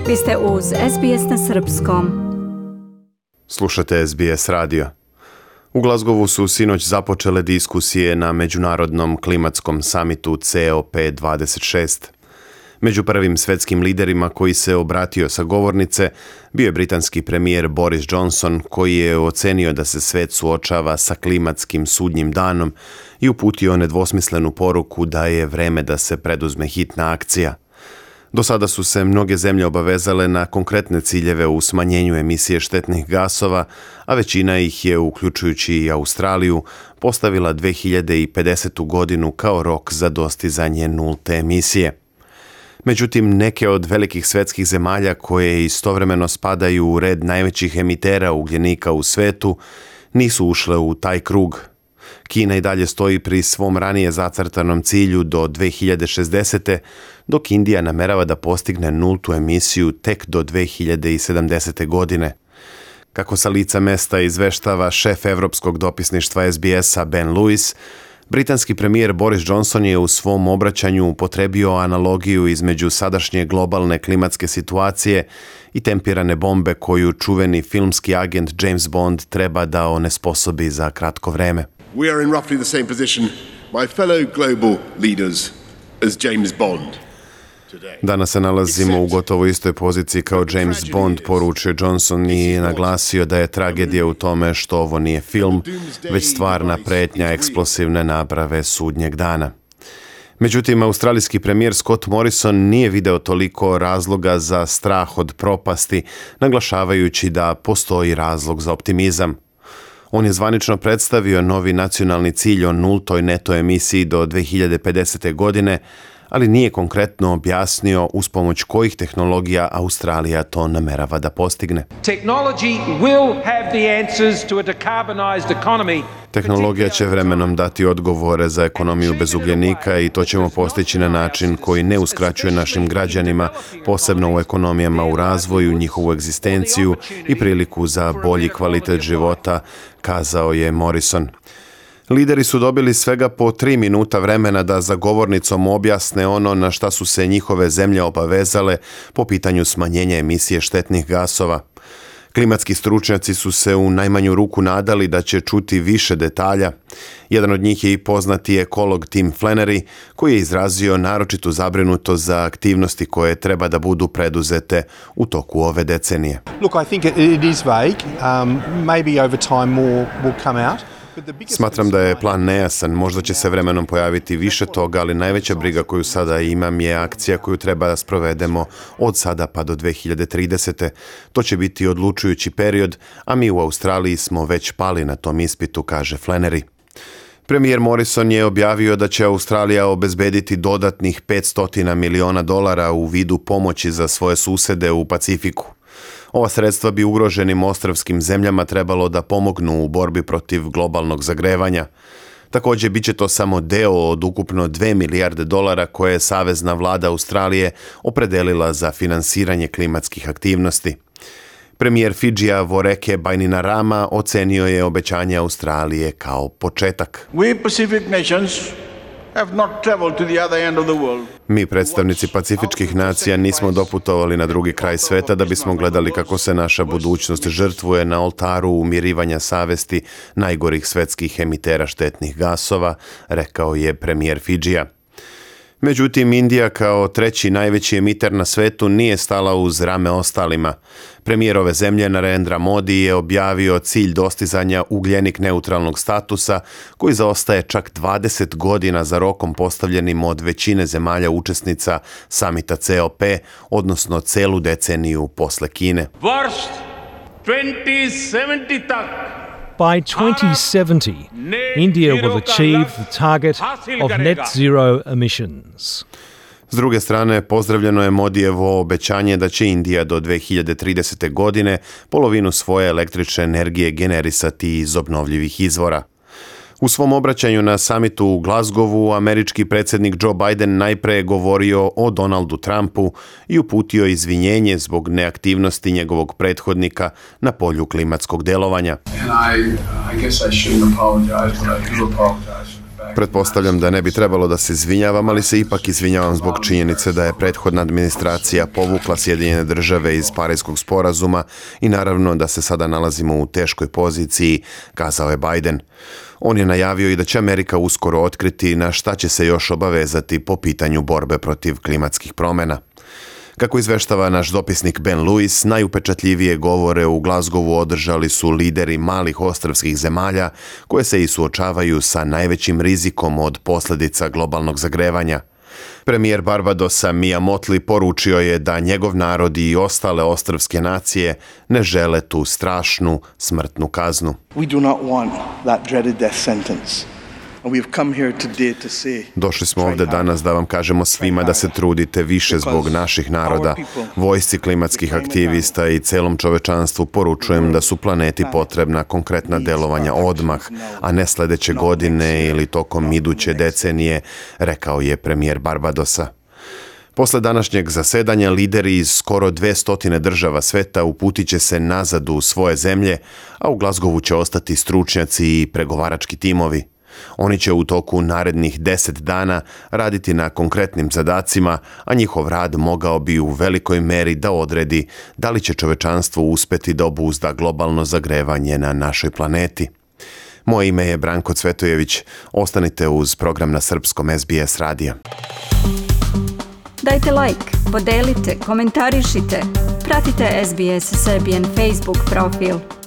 Vi ste uz SBS na Srpskom. Slušate SBS radio. U Glasgowu su sinoć započele diskusije na Međunarodnom klimatskom samitu COP26. Među prvim svetskim liderima koji se obratio sa govornice bio je britanski premijer Boris Johnson, koji je ocenio da se svet suočava sa klimatskim sudnjim danom i uputio nedvosmislenu poruku da je vreme da se preduzme hitna akcija. Do sada su se mnoge zemlje obavezale na konkretne ciljeve u smanjenju emisije štetnih gasova, a većina ih je, uključujući i Australiju, postavila 2050. godinu kao rok za dostizanje nulte emisije. Međutim, neke od velikih svetskih zemalja koje istovremeno spadaju u red najvećih emitera ugljenika u svetu nisu ušle u taj krug. Kina i dalje stoji pri svom ranije zacrtanom cilju do 2060. dok Indija namerava da postigne nultu emisiju tek do 2070. godine. Kako sa lica mesta izveštava šef evropskog dopisništva SBS-a Ben Lewis, britanski premijer Boris Johnson je u svom obraćanju upotrebio analogiju između sadašnje globalne klimatske situacije i tempirane bombe koju čuveni filmski agent James Bond treba da onesposobi za kratko vreme. We are in roughly the same position, my fellow global leaders, as James Bond. Danas se nalazimo u gotovo istoj poziciji kao James Bond, poručio Johnson i naglasio da je tragedija u tome što ovo nije film, već stvarna pretnja eksplosivne naprave sudnjeg dana. Međutim, australijski premijer Scott Morrison nije video toliko razloga za strah od propasti, naglašavajući da postoji razlog za optimizam. On je zvanično predstavio novi nacionalni cilj o nultoj neto emisiji do 2050. godine, ali nije konkretno objasnio uz pomoć kojih tehnologija Australija to namerava da postigne. Tehnologija će vremenom dati odgovore za ekonomiju bez ugljenika i to ćemo postići na način koji ne uskraćuje našim građanima, posebno u ekonomijama u razvoju, njihovu egzistenciju i priliku za bolji kvalitet života, kazao je Morrison. Lideri su dobili svega po 3 minuta vremena da za govornicom objasne ono na šta su se njihove zemlje obavezale po pitanju smanjenja emisije štetnih gasova. Klimatski stručnjaci su se u najmanju ruku nadali da će čuti više detalja. Jedan od njih je i poznati ekolog Tim Flannery, koji je izrazio naročitu zabrinutost za aktivnosti koje treba da budu preduzete u toku ove decenije. Look, I think it is vague. Maybe over time more will come out. Smatram da je plan nejasan, možda će se vremenom pojaviti više toga, ali najveća briga koju sada imam je akcija koju treba da sprovedemo od sada pa do 2030. To će biti odlučujući period, a mi u Australiji smo već pali na tom ispitu, kaže Flannery. Premijer Morrison je objavio da će Australija obezbediti dodatnih $500 miliona u vidu pomoći za svoje susede u Pacifiku. Ova sredstva bi ugroženim ostrvskim zemljama trebalo da pomognu u borbi protiv globalnog zagrevanja. Također, bit će to samo deo od ukupno $2 milijarde koje je savezna vlada Australije opredelila za finansiranje klimatskih aktivnosti. Premijer Fidžija Voreke Bainimarama ocenio je obećanje Australije kao početak. Mi, predstavnici pacifičkih nacija, nismo doputovali na drugi kraj sveta da bismo gledali kako se naša budućnost žrtvuje na oltaru umirivanja savesti najgorih svetskih emitera štetnih gasova, rekao je premijer Fidžija. Međutim, Indija kao treći najveći emiter na svetu nije stala uz rame ostalima. Premijer ove zemlje Narendra Modi je objavio cilj dostizanja ugljenik neutralnog statusa koji zaostaje čak 20 godina za rokom postavljenim od većine zemalja učesnica samita COP, odnosno celu deceniju posle Kine. Worst 2070 tak. By 2070, India will achieve the target of net zero emissions. S druge strane, pozdravljeno je Modijevo obećanje da će Indija do 2030. godine polovinu svoje električne energije generisati iz obnovljivih izvora. U svom obraćanju na samitu u Glasgowu, američki predsjednik Joe Biden najpre je govorio o Donaldu Trumpu i uputio izvinjenje zbog neaktivnosti njegovog prethodnika na polju klimatskog delovanja. Pretpostavljam da ne bi trebalo da se izvinjavam, ali se ipak izvinjavam zbog činjenice da je prethodna administracija povukla Sjedinjene Države iz Parijskog sporazuma i naravno da se sada nalazimo u teškoj poziciji, kazao je Biden. On je najavio i da će Amerika uskoro otkriti na šta će se još obavezati po pitanju borbe protiv klimatskih promjena. Kako izveštava naš dopisnik Ben Lewis, najupečatljivije govore u Glasgowu održali su lideri malih ostrvskih zemalja koje se i suočavaju sa najvećim rizikom od posljedica globalnog zagrevanja. Premijer Barbadosa Mia Mottley poručio je da njegov narod i ostale ostrvske nacije ne žele tu strašnu smrtnu kaznu. We do not want that dreaded death sentence. Došli smo ovdje danas da vam kažemo svima da se trudite više zbog naših naroda. Vojsci klimatskih aktivista i celom čovečanstvu poručujem da su planeti potrebna konkretna delovanja odmah, a ne sljedeće godine ili tokom iduće decenije, rekao je premijer Barbadosa. Posle današnjeg zasedanja lideri iz skoro 200 država sveta uputit će se nazad u svoje zemlje, a u Glasgowu će ostati stručnjaci i pregovarački timovi. Oni će u toku narednih 10 dana raditi na konkretnim zadacima, a njihov rad mogao bi u velikoj meri da odredi da li će čovečanstvo uspeti da obuzda globalno zagrevanje na našoj planeti. Moje ime je Branko Cvetojević. Ostanite uz program na srpskom SBS radija. Dajte like, podelite, komentarišite. Pratite SBS Serbian Facebook profil.